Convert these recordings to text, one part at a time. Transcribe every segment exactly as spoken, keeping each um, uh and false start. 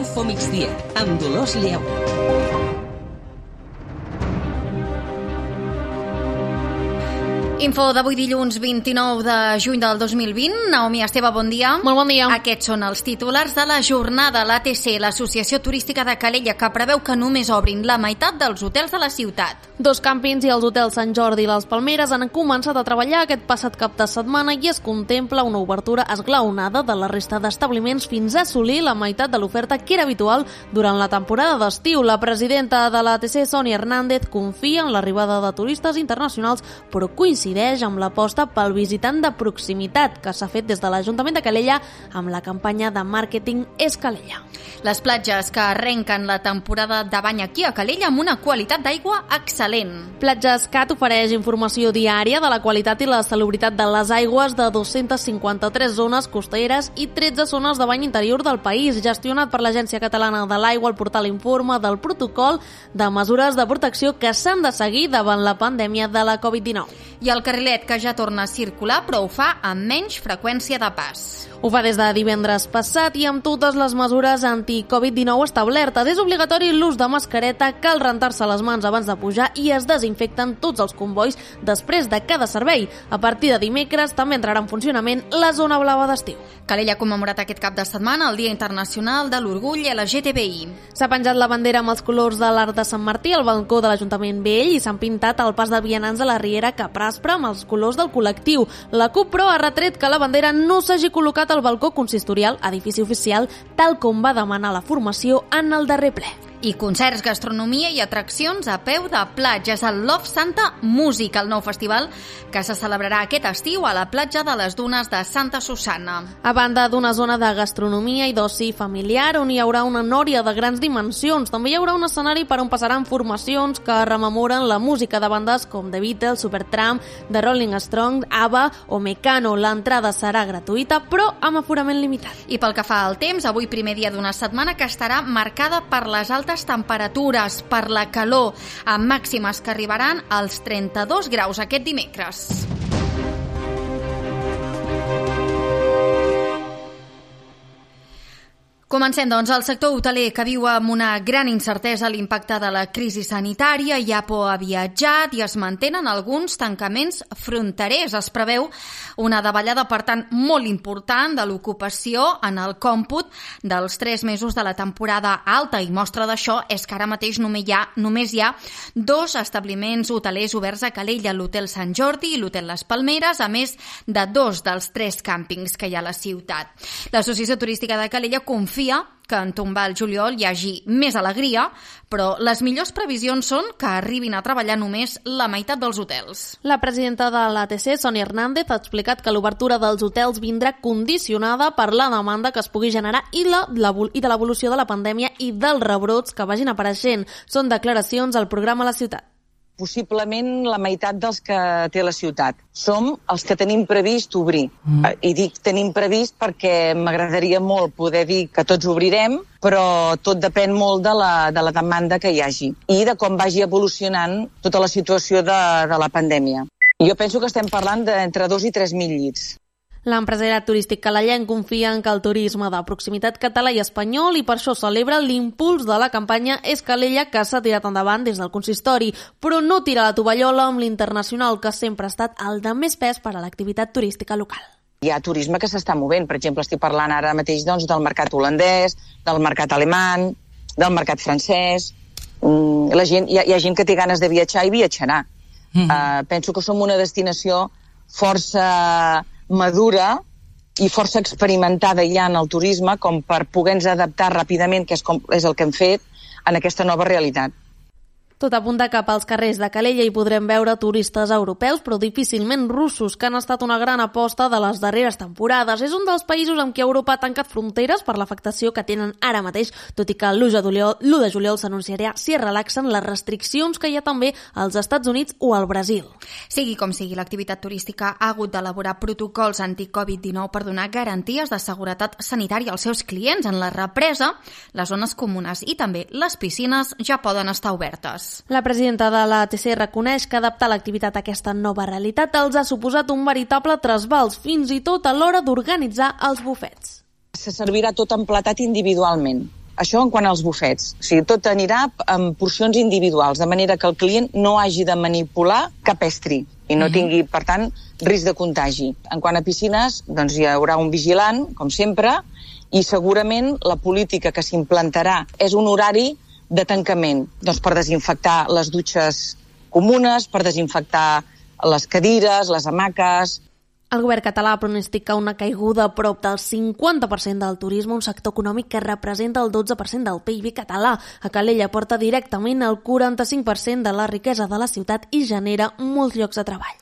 Info Migdia, amb Dolors Lleó. Info d'avui dilluns vint-i-nou de juny del dos mil vint. Naomi Esteve, bon dia. Molt bon dia. Aquests són els titulars de la jornada. L'A T C, l'Associació Turística de Calella, que preveu que només obrin la meitat dels hotels de la ciutat. Dos càmpings i els hotels Sant Jordi i les Palmeres han començat a treballar aquest passat cap de setmana i es contempla una obertura esglaonada de la resta d'establiments fins a assolir la meitat de l'oferta que era habitual durant la temporada d'estiu. La presidenta de l'A T C, Sònia Hernández, confia en l'arribada de turistes internacionals, però coincideix amb l'aposta pel visitant de proximitat que s'ha fet des de l'Ajuntament de Calella amb la campanya de màrqueting És Calella. Les platges que arrenquen la temporada de bany aquí a Calella amb una qualitat d'aigua excel·lent. Platges Cat ofereix informació diària de la qualitat i la salubritat de les aigües de dos-centes cinquanta-tres zones costeres i tretze zones de bany interior del país. Gestionat per l'Agència Catalana de l'Aigua, el portal informa del protocol de mesures de protecció que s'han de seguir davant la pandèmia de la covid dinou. I el carrilet, que ja torna a circular, però ho fa amb menys freqüència de pas. Ho fa des de divendres passat i amb totes les mesures anti-covid dinou establertes. És obligatori l'ús de mascareta, cal rentar-se les mans abans de pujar i es desinfecten tots els convois després de cada servei. A partir de dimecres també entrarà en funcionament la zona blava d'estiu. Calella ha commemorat aquest cap de setmana el Dia Internacional de l'Orgull L G T B I. S'ha penjat la bandera amb els colors de l'Arc de Sant Martí al balcó de l'Ajuntament Vell i s'han pintat el pas de vianants a la Riera Capraspra amb els colors del col·lectiu. La CUP, però, ha retret que la bandera no s'hagi col·locat al balcó consistorial, edifici oficial, tal com va demanar la formació en el darrer ple. I concerts, gastronomia i atraccions a peu de platja. És el Love Santa Music, el nou festival que se celebrarà aquest estiu a la platja de les Dunes de Santa Susanna. A banda d'una zona de gastronomia i d'oci familiar on hi haurà una nòria de grans dimensions, també hi haurà un escenari per on passaran formacions que rememoren la música de bandes com The Beatles, Supertramp, The Rolling Stones, ABBA o Mecano. L'entrada serà gratuïta, però amb aforament limitat. I pel que fa al temps, avui primer dia d'una setmana que estarà marcada per les altes temperatures, per la calor, amb màximes que arribaran als trenta-dos graus aquest dimecres. Comencem, doncs. El sector hoteler, que viu amb una gran incertesa l'impacte de la crisi sanitària, ja ha viatjat i es mantenen alguns tancaments fronterers. Es preveu una davallada, per tant, molt important de l'ocupació en el còmput dels tres mesos de la temporada alta, i mostra d'això és que ara mateix només hi ha, només hi ha dos establiments hotelers oberts a Calella, l'Hotel Sant Jordi i l'Hotel Les Palmeres, a més de dos dels tres càmpings que hi ha a la ciutat. L'Associació Turística de Calella confia que en tombar el juliol hi hagi més alegria, però les millors previsions són que arribin a treballar només la meitat dels hotels. La presidenta de l'A T C, Sònia Hernández, ha explicat que l'obertura dels hotels vindrà condicionada per la demanda que es pugui generar i, la, la, i de l'evolució de la pandèmia i dels rebrots que vagin apareixent. Són declaracions al programa La Ciutat. Possiblement la meitat dels que té la ciutat. Som els que tenim previst obrir. Mm. I dic tenim previst perquè m'agradaria molt poder dir que tots obrirem, però tot depèn molt de la, de la demanda que hi hagi i de com vagi evolucionant tota la situació de, de la pandèmia. Jo penso que estem parlant d'entre dos i tres mil llits. L'empresariat turístic calellenc confia en que el turisme de proximitat català i espanyol i per això celebra l'impuls de la campanya És Calella que s'ha tirat endavant des del consistori, però no tira la tovallola amb l'internacional que sempre ha estat el de més pes per a l'activitat turística local. Hi ha turisme que s'està movent. Per exemple, estic parlant ara mateix doncs, del mercat holandès, del mercat alemany, del mercat francès. La gent, hi, ha, hi ha gent que té ganes de viatjar i viatjarà. Mm. Uh, penso que som una destinació força madura i força experimentada ja en el turisme com per poder-nos adaptar ràpidament, que és, com, és el que hem fet, en aquesta nova realitat. Tot apunta cap als carrers de Calella i podrem veure turistes europeus, però difícilment russos, que han estat una gran aposta de les darreres temporades. És un dels països amb què Europa ha tancat fronteres per l'afectació que tenen ara mateix, tot i que l'u de juliol s'anunciarà si es relaxen les restriccions que hi ha també als Estats Units o al Brasil. Sigui com sigui, l'activitat turística ha hagut d'elaborar protocols anti-covid dinou per donar garanties de seguretat sanitària als seus clients. En la represa, les zones comunes i també les piscines ja poden estar obertes. La presidenta de l'A T C reconeix que adaptar l'activitat a aquesta nova realitat els ha suposat un veritable trasbals, fins i tot a l'hora d'organitzar els bufets. Se servirà tot emplatat individualment. això en quant als bufets. O sigui, tot anirà en porcions individuals, de manera que el client no hagi de manipular cap estri i no tingui, per tant, risc de contagi. En quant a piscines, doncs hi haurà un vigilant, com sempre, i segurament la política que s'implantarà és un horari de tancament, doncs per desinfectar les dutxes comunes, per desinfectar les cadires, les hamaques. El govern català pronostica una caiguda a prop del cinquanta per cent del turisme, un sector econòmic que representa el dotze per cent del P I B català. A Calella porta directament el quaranta-cinc per cent de la riquesa de la ciutat i genera molts llocs de treball.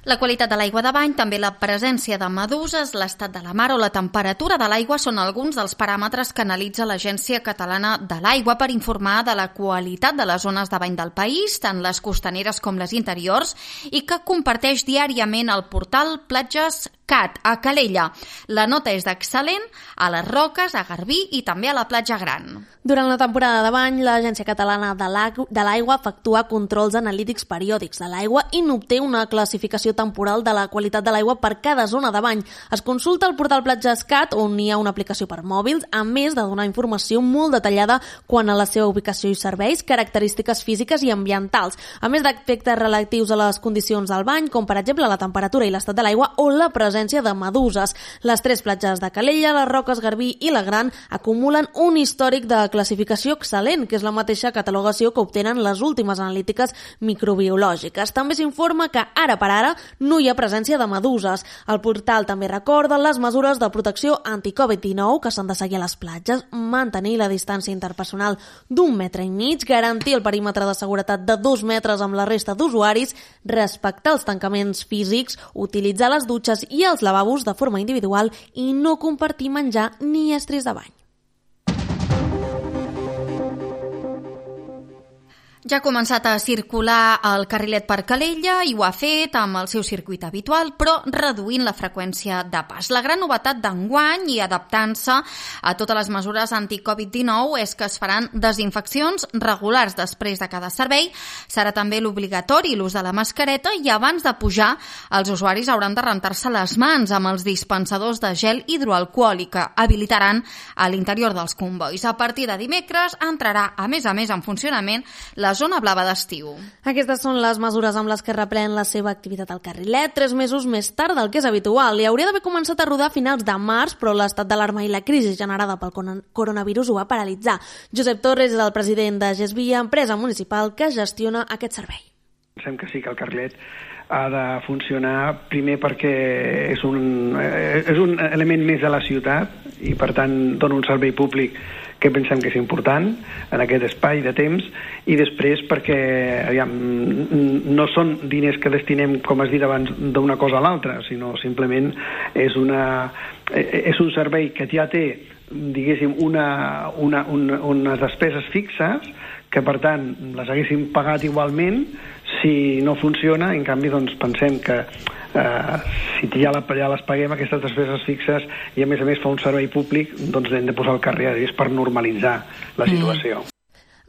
La qualitat de l'aigua de bany, també la presència de meduses, l'estat de la mar o la temperatura de l'aigua són alguns dels paràmetres que analitza l'Agència Catalana de l'Aigua per informar de la qualitat de les zones de bany del país, tant les costaneres com les interiors, i que comparteix diàriament el portal Platges Cat, a Calella. La nota és d'excel·lent a les Roques, a Garbí i també a la Platja Gran. Durant la temporada de bany, l'Agència Catalana de l'Aigua efectua controls analítics periòdics de l'aigua i n'obté una classificació temporal de la qualitat de l'aigua per cada zona de bany. Es consulta el portal Platges Cat, on hi ha una aplicació per mòbils, a més de donar informació molt detallada quant a la seva ubicació i serveis, característiques físiques i ambientals, a més d'aspectes relatius a les condicions del bany, com per exemple la temperatura i l'estat de l'aigua o la presència de meduses. Les tres platges de Calella, les Roques, Garbí i la Gran acumulen un històric de classificació excel·lent, que és la mateixa catalogació que obtenen les últimes analítiques microbiològiques. També s'informa que ara per ara no hi ha presència de meduses. El portal també recorda les mesures de protecció anti-Covid dinou que s'han de seguir a les platges, mantenir la distància interpersonal d'un metre i mig, garantir el perímetre de seguretat de dos metres amb la resta d'usuaris, respectar els tancaments físics, utilitzar les dutxes i els lavabos de forma individual i no compartir menjar ni estris de bany. Ja ha començat a circular el carrilet per Calella i ho ha fet amb el seu circuit habitual, però reduint la freqüència de pas. La gran novetat d'enguany i adaptant-se a totes les mesures anti-Covid dinou és que es faran desinfeccions regulars després de cada servei. Serà també l'obligatori l'ús de la mascareta i abans de pujar els usuaris hauran de rentar-se les mans amb els dispensadors de gel hidroalcohòlic que habilitaran a l'interior dels convois. A partir de dimecres entrarà, a més a més, en funcionament la zona blava d'estiu. Aquestes són les mesures amb les que reprèn la seva activitat al carrilet, tres mesos més tard del que és habitual, i hauria d'haver començat a rodar a finals de març, però l'estat d'alarma i la crisi generada pel coronavirus ho va paralitzar. Josep Torres és el president de Gesvia, empresa municipal que gestiona aquest servei. Pensem que sí que el carrilet ha de funcionar primer perquè és un, és un element més de la ciutat i per tant dona un servei públic que pensem que és important en aquest espai de temps, i després perquè aviam, no són diners que destinem, com has dit abans, d'una cosa a l'altra, sinó simplement és, una, és un servei que ja té, diguéssim, una, una, una, unes despeses fixes que per tant les haguéssim pagat igualment si no funciona. En canvi doncs pensem que eh, si ja, la, ja les paguem aquestes despeses fixes i a més a més fa un servei públic, doncs hem de posar el carrer és per normalitzar la situació. Mm.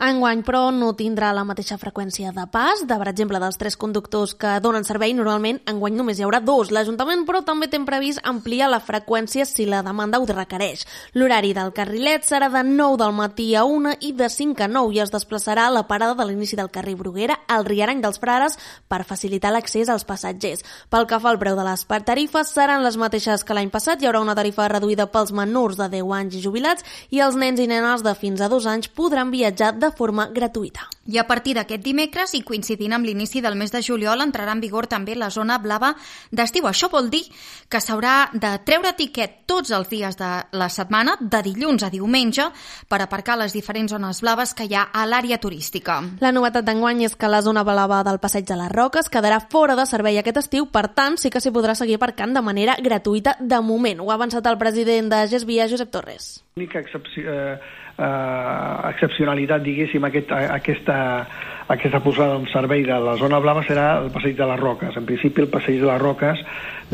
Enguany, però, no tindrà la mateixa freqüència de pas. De, per exemple, dels tres conductors que donen servei, normalment enguany només hi haurà dos. L'Ajuntament, però, també té previst ampliar la freqüència si la demanda ho requereix. L'horari del carrilet serà de nou del matí a una i de cinc a nou i es desplaçarà a la parada de l'inici del carrer Bruguera al Riarany dels Frares per facilitar l'accés als passatgers. Pel que fa al preu de les tarifes, seran les mateixes que l'any passat. Hi haurà una tarifa reduïda pels menors de deu anys i jubilats i els nens i nenes de fins a dos anys podran viatjar de forma gratuïta. I a partir d'aquest dimecres, i coincidint amb l'inici del mes de juliol, entrarà en vigor també la zona blava d'estiu. Això vol dir que s'haurà de treure tiquet tots els dies de la setmana, de dilluns a diumenge, per aparcar les diferents zones blaves que hi ha a l'àrea turística. La novetat d'enguany és que la zona blava del Passeig de les Roques quedarà fora de servei aquest estiu, per tant, sí que s'hi podrà seguir aparcant de manera gratuïta de moment. Ho ha avançat el president de Gesvia, Josep Torres. L'única excepció... Eh... Uh, excepcionalitat, diguéssim, aquest, aquesta, aquesta posada en servei de la zona blava serà el Passeig de les Roques. En principi el Passeig de les Roques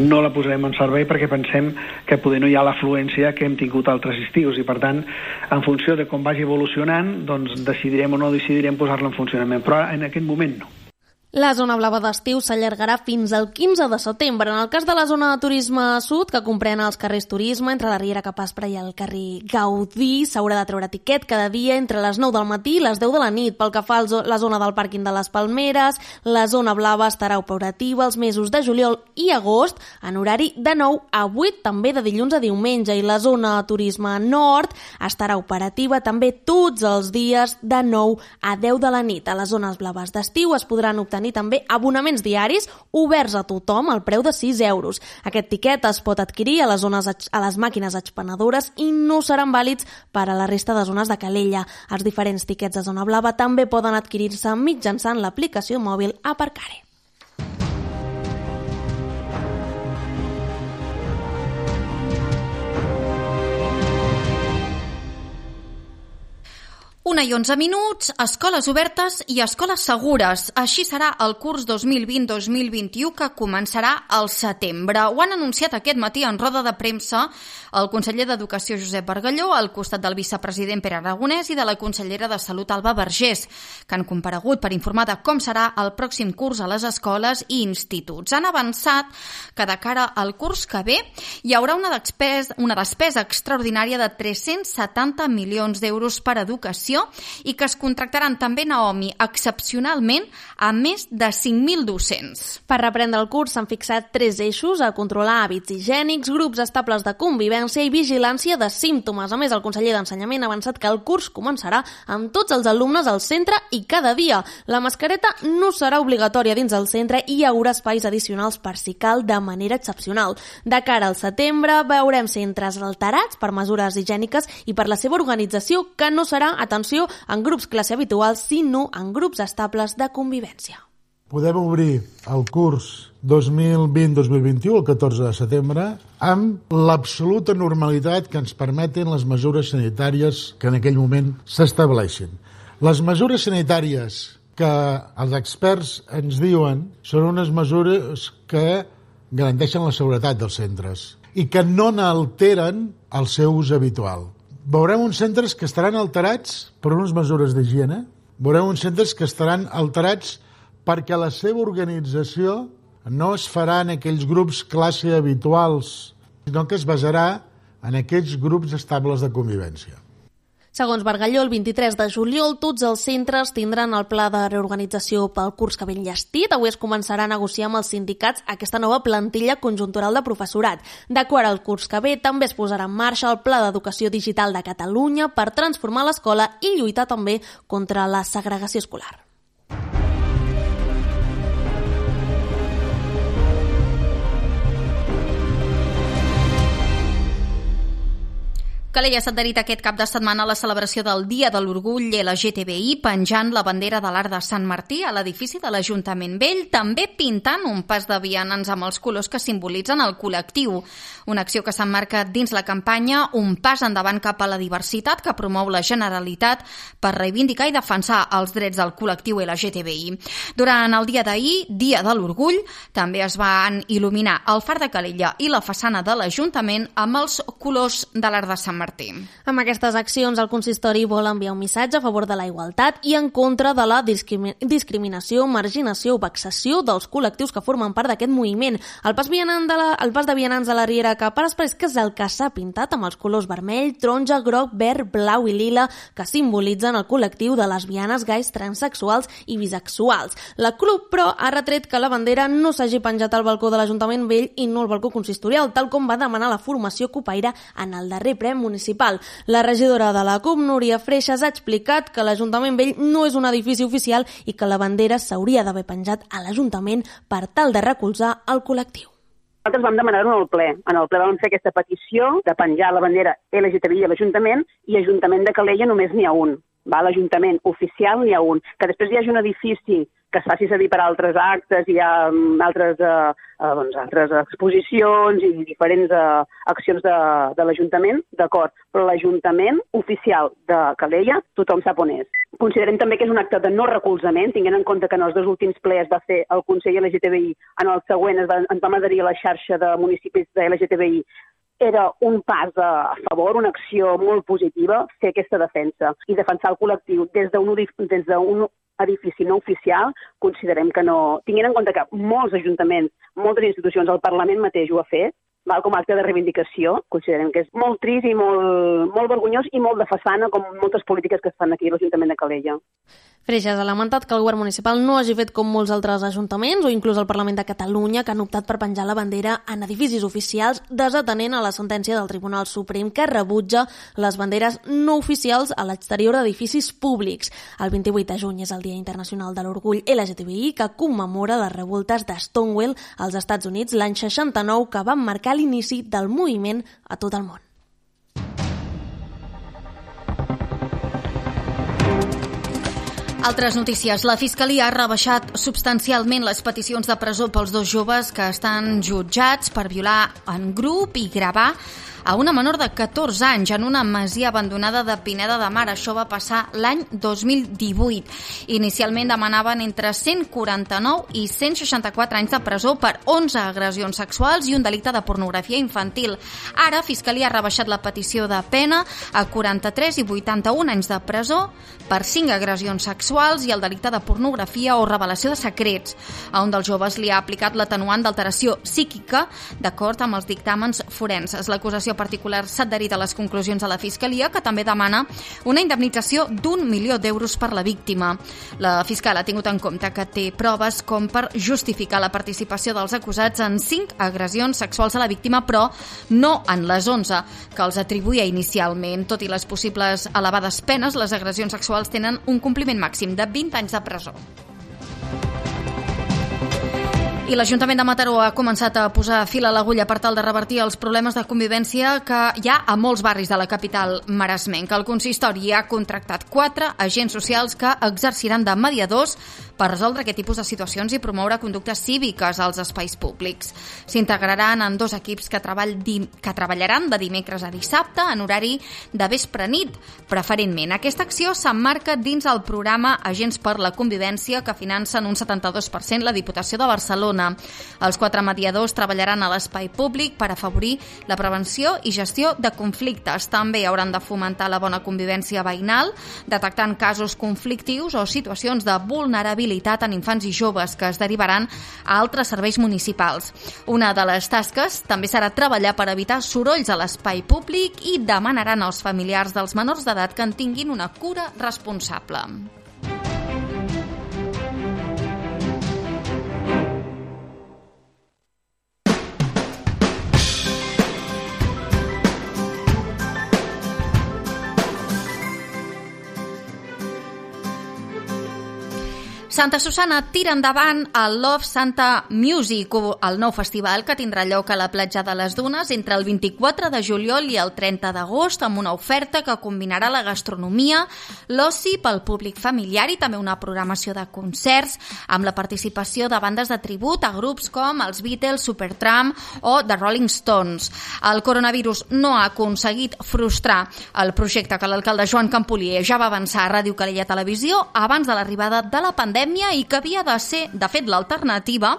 no la posarem en servei perquè pensem que poder no hi ha l'afluència que hem tingut altres estius i per tant, en funció de com vagi evolucionant, doncs decidirem o no decidirem posar-la en funcionament, però en aquest moment no. La zona blava d'estiu s'allargarà fins al quinze de setembre. En el cas de la zona de turisme sud, que comprèn els carrers Turisme, entre la Riera Cap Aspre i el carrer Gaudí, s'haurà de treure tiquet cada dia entre les nou del matí i les deu de la nit. Pel que fa a la zona del pàrquing de les Palmeres, la zona blava estarà operativa els mesos de juliol i agost en horari de nou a vuit, també de dilluns a diumenge, i la zona de turisme nord estarà operativa també tots els dies de nou a deu de la nit. A les zones blaves d'estiu es podran obtenir també abonaments diaris oberts a tothom al preu de sis euros. Aquest tiquet es pot adquirir a les, zones, a les màquines expenedores i no seran vàlids per a la resta de zones de Calella. Els diferents tiquets de zona blava també poden adquirir-se mitjançant l'aplicació mòbil Aparcare. Una i onze minuts, escoles obertes i escoles segures. Així serà el curs dos mil vint dos mil vint-i-u que començarà al setembre. Ho han anunciat aquest matí en roda de premsa el conseller d'Educació Josep Bargalló al costat del vicepresident Pere Aragonès i de la consellera de Salut Alba Vergés, que han comparegut per informar de com serà el pròxim curs a les escoles i instituts. Han avançat que de cara al curs que ve hi haurà una despesa, una despesa extraordinària de tres-cents setanta milions d'euros per a educació i que es contractaran també, Naomi, excepcionalment a més de cinc mil docents. Per reprendre el curs s'han fixat tres eixos: a controlar hàbits higiènics, grups estables de convivència i vigilància de símptomes. A més, el conseller d'Ensenyament ha avançat que el curs començarà amb tots els alumnes al centre i cada dia. La mascareta no serà obligatòria dins el centre i hi haurà espais addicionals per si cal de manera excepcional. De cara al setembre veurem centres alterats per mesures higièniques i per la seva organització, que no serà, atenció, en grups classe habituals, sinó en grups estables de convivència. Podem obrir el curs dos mil vint dos mil vint-i-u, el catorze de setembre, amb l'absoluta normalitat que ens permeten les mesures sanitàries que en aquell moment s'estableixin. Les mesures sanitàries que els experts ens diuen són unes mesures que garanteixen la seguretat dels centres i que no n'alteren el seu ús habitual. Veurem uns centres que estaran alterats per unes mesures d'higiene, veurem uns centres que estaran alterats perquè la seva organització no es farà en aquells grups classe habituals, sinó que es basarà en aquells grups estables de convivència. Segons Bargalló, el vint-i-tres de juliol tots els centres tindran el pla de reorganització pel curs que ve enllestit. Avui es començarà a negociar amb els sindicats aquesta nova plantilla conjuntural de professorat. D'acord al curs que ve, també es posarà en marxa el Pla d'Educació Digital de Catalunya per transformar l'escola i lluitar també contra la segregació escolar. Calella s'ha adherit aquest cap de setmana a la celebració del Dia de l'Orgull L G T B I penjant la bandera de l'Arc de Sant Martí a l'edifici de l'Ajuntament Vell, també pintant un pas de vianants amb els colors que simbolitzen el col·lectiu. Una acció que s'emmarca dins la campanya Un pas endavant cap a la diversitat que promou la Generalitat per reivindicar i defensar els drets del col·lectiu L G T B I. Durant el dia d'ahir, Dia de l'Orgull, també es van il·luminar el Far de Calella i la façana de l'Ajuntament amb els colors de l'Arc de Sant Martí. Martí. Amb aquestes accions, el consistori vol enviar un missatge a favor de la igualtat i en contra de la discrimi- discriminació, marginació o vexació dels col·lectius que formen part d'aquest moviment. El pas, vianant de la, el pas de vianants de la Riera Cap Aspre és que és el que s'ha pintat amb els colors vermell, taronja, groc, verd, blau i lila que simbolitzen el col·lectiu de lesbianes, gais, transsexuals i bisexuals. La CUP, però, ha retret que la bandera no s'hagi penjat al balcó de l'Ajuntament Vell i no al balcó consistorial, tal com va demanar la formació copaire en el darrer ple municipal. La regidora de la CUP, Núria Freixas, ha explicat que l'Ajuntament Vell no és un edifici oficial i que la bandera s'hauria d'haver penjat a l'Ajuntament per tal de recolzar el col·lectiu. Nosaltres vam demanar-ho en el ple. En el ple vam fer aquesta petició de penjar la bandera L G T B I a l'Ajuntament i Ajuntament de Calella només n'hi ha un. Va, l'Ajuntament oficial n'hi ha un. Que després hi hagi un edifici que es faci servir per altres actes, hi ha altres, eh, doncs, altres exposicions i diferents eh, accions de, de l'Ajuntament, d'acord, però l'Ajuntament oficial de Calella tothom sap on és. Considerem també que és un acte de no recolzament, tinguent en compte que en els dos últims plers va fer el Consell L G T B I, en el següent es va, ens vam adherir a la xarxa de municipis de L G T B I. Era un pas a favor, una acció molt positiva, fer aquesta defensa i defensar el col·lectiu des d'un des d'un edifici no oficial, considerem que no... Tinguent en compte que molts ajuntaments, moltes institucions, el Parlament mateix ho ha fet, val, com a acte de reivindicació, considerem que és molt trist i molt, molt vergonyós i molt de façana, com moltes polítiques que es fan aquí a l'Ajuntament de Calella. Freixas ha lamentat que el govern municipal no hagi fet com molts altres ajuntaments o inclús el Parlament de Catalunya, que han optat per penjar la bandera en edificis oficials, desatenent a la sentència del Tribunal Suprem que rebutja les banderes no oficials a l'exterior d'edificis públics. El vint-i-vuit de juny és el Dia Internacional de l'Orgull L G T B I, que commemora les revoltes de Stonewall als Estats Units l'any seixanta-nou, que van marcar l'inici del moviment a tot el món. Altres notícies. La Fiscalia ha rebaixat substancialment les peticions de presó pels dos joves que estan jutjats per violar en grup i gravar a una menor de catorze anys en una masia abandonada de Pineda de Mar. Això va passar l'any dos mil divuit. Inicialment demanaven entre cent quaranta-nou i cent seixanta-quatre anys de presó per onze agressions sexuals i un delicte de pornografia infantil. Ara, Fiscalia ha rebaixat la petició de pena a quaranta-tres i vuitanta-un anys de presó per cinc agressions sexuals i el delicte de pornografia o revelació de secrets. A un dels joves li ha aplicat l'atenuant d'alteració psíquica d'acord amb els dictàmens forenses. L'acusació particular s'ha adherit a les conclusions de la Fiscalia, que també demana una indemnització d'un milió d'euros per la víctima. La fiscal ha tingut en compte que té proves com per justificar la participació dels acusats en cinc agressions sexuals a la víctima, però no en les onze que els atribuïa inicialment. Tot i les possibles elevades penes, les agressions sexuals tenen un compliment màxim de vint anys de presó. I l'Ajuntament de Mataró ha començat a posar fil a l'agulla per tal de revertir els problemes de convivència que hi ha a molts barris de la capital maresmenca. El consistori ha contractat quatre agents socials que exerciran de mediadors per resoldre aquest tipus de situacions i promoure conductes cíviques als espais públics. S'integraran en dos equips que, treball que treballaran de dimecres a dissabte en horari de vespre-nit, preferentment. Aquesta acció s'emmarca dins el programa Agents per la Convivència, que financen un setanta-dos per cent la Diputació de Barcelona. Els quatre mediadors treballaran a l'espai públic per afavorir la prevenció i gestió de conflictes. També hauran de fomentar la bona convivència veïnal, detectant casos conflictius o situacions de vulnerabilitat en infants i joves que es derivaran a altres serveis municipals. Una de les tasques també serà treballar per evitar sorolls a l'espai públic i demanaran als familiars dels menors d'edat que en tinguin una cura responsable. Santa Susana tira endavant el Love Santa Music, el nou festival que tindrà lloc a la platja de les Dunes entre el vint-i-quatre de juliol i el trenta d'agost, amb una oferta que combinarà la gastronomia, l'oci pel públic familiar i també una programació de concerts amb la participació de bandes de tribut a grups com els Beatles, Supertramp o The Rolling Stones. El coronavirus no ha aconseguit frustrar el projecte que l'alcalde Joan Campolier ja va avançar a Ràdio Calella Televisió abans de l'arribada de la pandèmia i que havia de ser, de fet, l'alternativa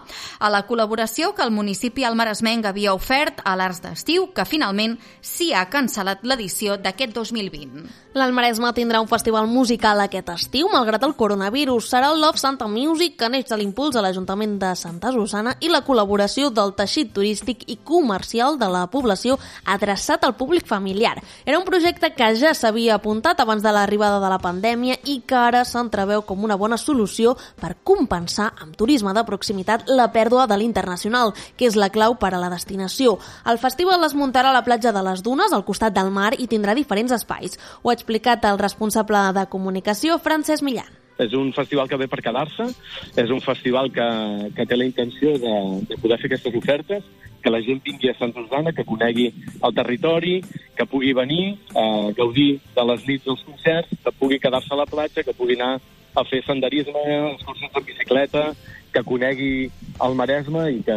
a la col·laboració que el municipi almaresmenc havia ofert a l'Arts d'Estiu, que finalment s'hi ha cancel·lat l'edició d'aquest dos mil vint. L'Almaresme tindrà un festival musical aquest estiu, malgrat el coronavirus. Serà el Love Santa Music, que neix de l'impuls de l'Ajuntament de Santa Susana i la col·laboració del teixit turístic i comercial de la població adreçat al públic familiar. Era un projecte que ja s'havia apuntat abans de l'arribada de la pandèmia i que ara s'entreveu com una bona solució per compensar amb turisme de proximitat la pèrdua de l'internacional, que és la clau per a la destinació. El festival es muntarà a la platja de les Dunes, al costat del mar, i tindrà diferents espais. Ho ha explicat el responsable de comunicació, Francesc Millán. És un festival que ve per quedar-se, és un festival que, que té la intenció de, de poder fer aquestes ofertes, que la gent vingui a Santa Susana, que conegui el territori, que pugui venir a gaudir de les nits dels concerts, que pugui quedar-se a la platja, que pugui anar a fer senderisme, excursions en bicicleta, que conegui el Maresme i que,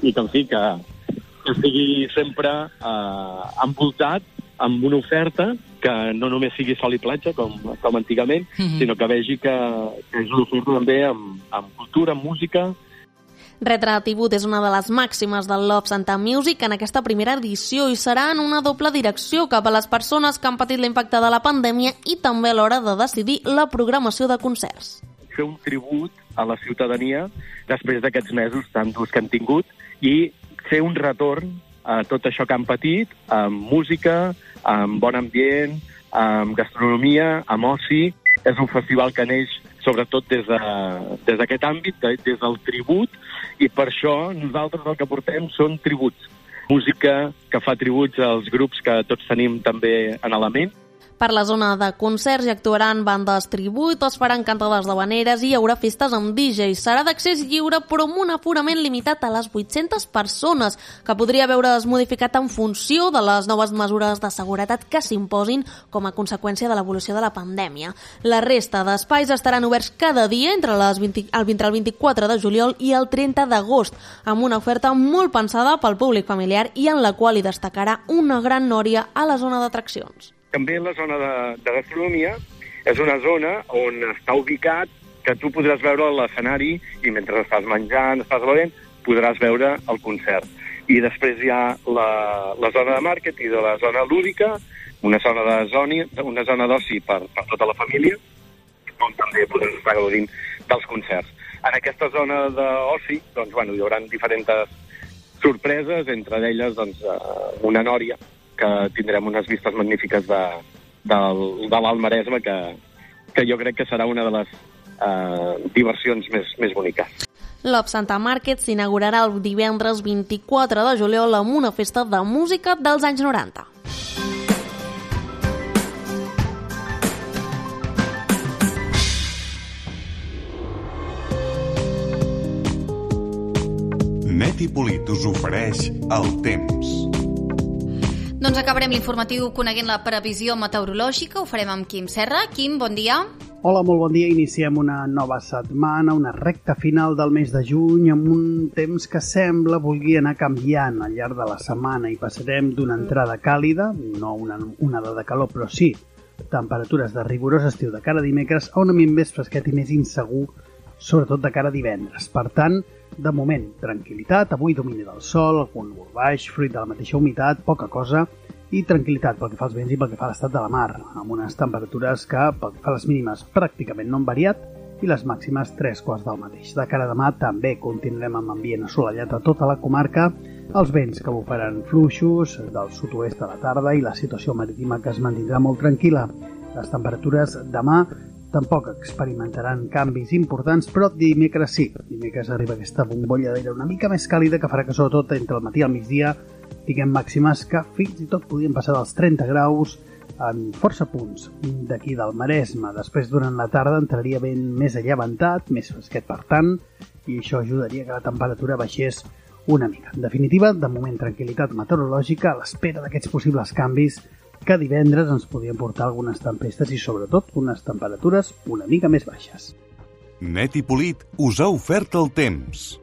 i que en fi, que, que estigui sempre eh, envoltat amb una oferta que no només sigui sol i platja, com, com antigament, mm-hmm. sinó que vegi que, que és una oferta també amb, amb cultura, amb música. Retratibut és una de les màximes del Love Santa Music en aquesta primera edició i serà en una doble direcció cap a les persones que han patit l'impacte de la pandèmia i també a l'hora de decidir la programació de concerts. fer un tribut a la ciutadania després d'aquests mesos tan durs que han tingut i fer un retorn a tot això que han patit, amb música, amb bon ambient, amb gastronomia, amb oci. És un festival que neix sobretot des de, des d'aquest àmbit, des del tribut, i per això nosaltres el que portem són tributs. Música que fa tributs als grups que tots tenim també en la ment. Per la zona de concerts hi actuaran bandes tribut, es faran cantades d'habaneres i hi haurà festes amb D Js. Serà d'accés lliure però amb un aforament limitat a les vuit-centes persones, que podria veure's modificat en funció de les noves mesures de seguretat que s'imposin com a conseqüència de l'evolució de la pandèmia. La resta d'espais estaran oberts cada dia entre, les vint, el, entre el vint-i-quatre de juliol i el trenta d'agost, amb una oferta molt pensada pel públic familiar i en la qual hi destacarà una gran nòria a la zona d'atraccions. També la zona de, de gastronomia és una zona on està ubicat que tu podràs veure l'escenari i mentre estàs menjant, estàs bevent, podràs veure el concert. I després hi ha la, la zona de màrquet i de la zona lúdica, una zona de zoni, una zona d'oci per, per tota la família, on també podràs estar gaudint dels concerts. En aquesta zona d'oci, doncs, bueno, hi haurà diferents sorpreses, entre elles doncs, una nòria, que tindrem unes vistes magnífiques de, de, de l'Alt Maresme, que, que jo crec que serà una de les eh, diversions més, més boniques. L'Op Santa Market s'inaugurarà el divendres vint-i-quatre de juliol amb una festa de música dels anys noranta. Net i Polit us ofereix el temps. Doncs acabarem l'informatiu coneguent la previsió meteorològica. Ho farem amb Quim Serra. Quim, bon dia. Hola, molt bon dia. Iniciem una nova setmana, una recta final del mes de juny, amb un temps que sembla vulgui anar canviant al llarg de la setmana i passarem d'una entrada càlida, no una onada de calor, però sí temperatures de rigorós estiu de cara a dimecres, a un ambient més fresquet i més insegur, sobretot de cara a divendres. Per tant, de moment, tranquil·litat, avui domini del sol, algun núvol baix, fruit de la mateixa humitat, poca cosa, i tranquil·litat pel que fa als vents i pel que fa a l'estat de la mar, amb unes temperatures que, pel que fa a les mínimes, pràcticament no han variat, i les màximes tres quarts del mateix. De cara a demà també continuarem amb ambient assolellat a tota la comarca, els vents que bufaran fluixos del sud-oest a la tarda i la situació marítima que es mantindrà molt tranquil·la. Les temperatures demà tampoc experimentaran canvis importants, però dimecres sí. Dimecres arriba aquesta bombolla d'aire una mica més càlida que farà que sobretot entre el matí i el migdia tinguem màximes que fins i tot podien passar dels trenta graus en força punts d'aquí del Maresme. Després, durant la tarda, entraria ben més allevantat, més fresquet per tant, i això ajudaria que la temperatura baixés una mica. En definitiva, de moment, tranquil·litat meteorològica a l'espera d'aquests possibles canvis que divendres ens podien portar algunes tempestes i, sobretot, unes temperatures una mica més baixes. Net i Polit us ha ofert el temps.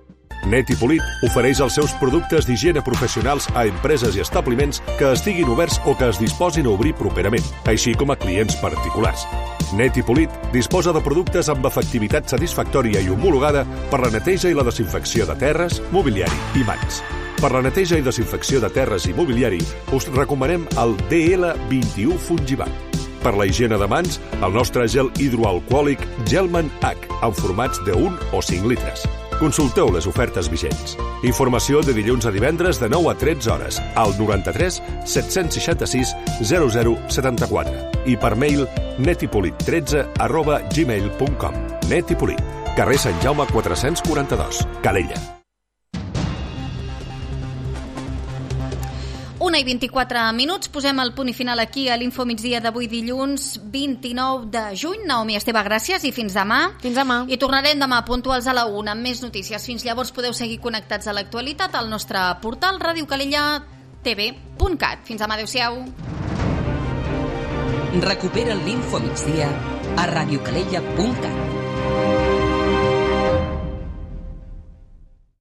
Net i Polit ofereix els seus productes d'higiene professionals a empreses i establiments que estiguin oberts o que es disposin a obrir properament, així com a clients particulars. Net i Polit disposa de productes amb efectivitat satisfactòria i homologada per la neteja i la desinfecció de terres, mobiliari i mans. Per la neteja i desinfecció de terres i mobiliari us recomanem el D L vint-i-u Fungibat. Per la higiene de mans, el nostre gel hidroalcohòlic Gelman H, en formats de un o cinc litres. Consulteu les ofertes vigents. Informació de dilluns a divendres de nou a tretze hores al noranta-tres set-cents seixanta-sis zero zero setanta-quatre i per mail netipolit tretze arroba gmail punt com. Net i Polit, carrer Sant Jaume quatre-cents quaranta-dos, Calella. Una i vint-i-quatre minuts, posem el punt i final aquí a l'Info Migdia d'avui dilluns vint-i-nou de juny. Naomi Esteve, gràcies i fins demà. Fins demà. I tornarem demà puntuals a la una amb més notícies. Fins llavors podeu seguir connectats a l'actualitat al nostre portal radiocalella t v punt cat. Fins demà, adeu-siau. Recupera l'Info Migdia a radiocalella punt cat.